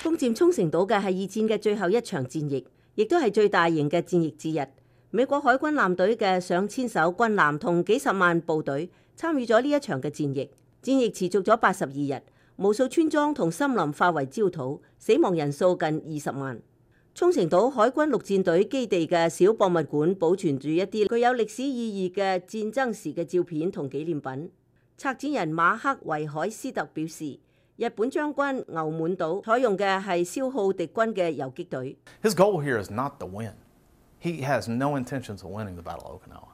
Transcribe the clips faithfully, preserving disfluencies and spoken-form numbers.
攻佔沖繩島嘅係二戰嘅最後一場戰役，亦都係最大型嘅戰役之一。美國海軍艦隊嘅上千艘軍艦同幾十萬部隊參與咗呢一場嘅戰役。戰役持續咗八十二日，無數村莊同森林化為焦土，死亡人數近二十萬。沖繩島海軍陸戰隊基地嘅小博物館保存住一啲具有歷史意義嘅戰爭時嘅照片同紀念品。策展人馬克維海斯特表示，日本將軍牛滿島採用嘅係消耗敵軍嘅游擊隊。His goal here is not to win. He has no intentions of winning the Battle of Okinawa.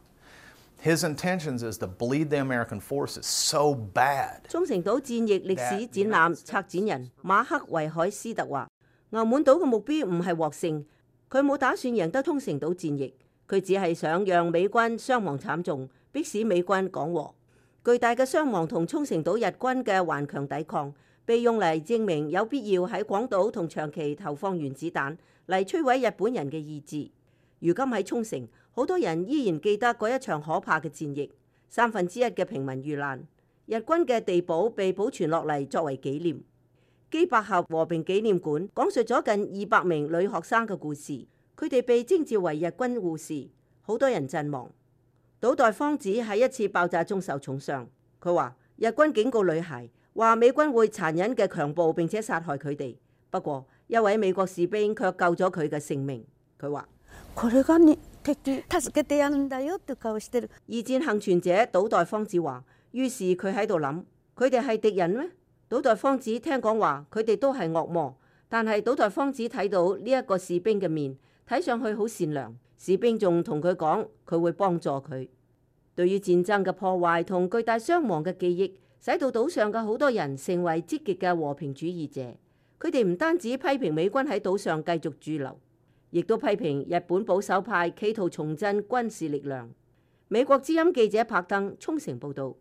His intentions is to bleed the American forces so bad. 沖繩島戰役歷史展覽策展人馬克維海斯特話，牛滿島嘅目標唔係獲勝，佢冇打算贏得沖繩島戰役，佢只係想讓美軍傷亡慘重，迫使美軍講和。巨大嘅傷亡同沖繩島日軍嘅頑強抵抗，被用嚟證明有必要喺廣島同長期投放原子彈嚟摧毀日本人嘅意志。如今喺沖繩，好多人依然記得嗰一場可怕嘅戰役，三分之一嘅平民遇難，日軍嘅地堡被保存落嚟作為紀念。基百合和平紀念館講述咗近二百名女學生嘅故事，佢哋被徵召為日軍護士，好多人陣亡。島代芳子喺一次爆炸中受重傷，佢話日軍警告女孩，話美軍會殘忍嘅強暴並且殺害佢哋，不過一位美國士兵卻救咗佢嘅性命。佢話：二戰幸存者島代芳子話，於是佢喺度諗，佢哋係敵人咩？島代芳子聽講話，佢哋都係惡魔，但係島代芳子睇到呢一個士兵嘅面，睇上去好善良。士兵仲同佢講，佢會幫助佢。對於戰爭嘅破壞同巨大傷亡嘅記憶，使到島上嘅好多人成為積極嘅和平主義者。佢哋唔單止批評美軍喺島上繼續駐留，亦都批評日本保守派企圖重振軍事力量。美國之音記者柏登沖繩報導。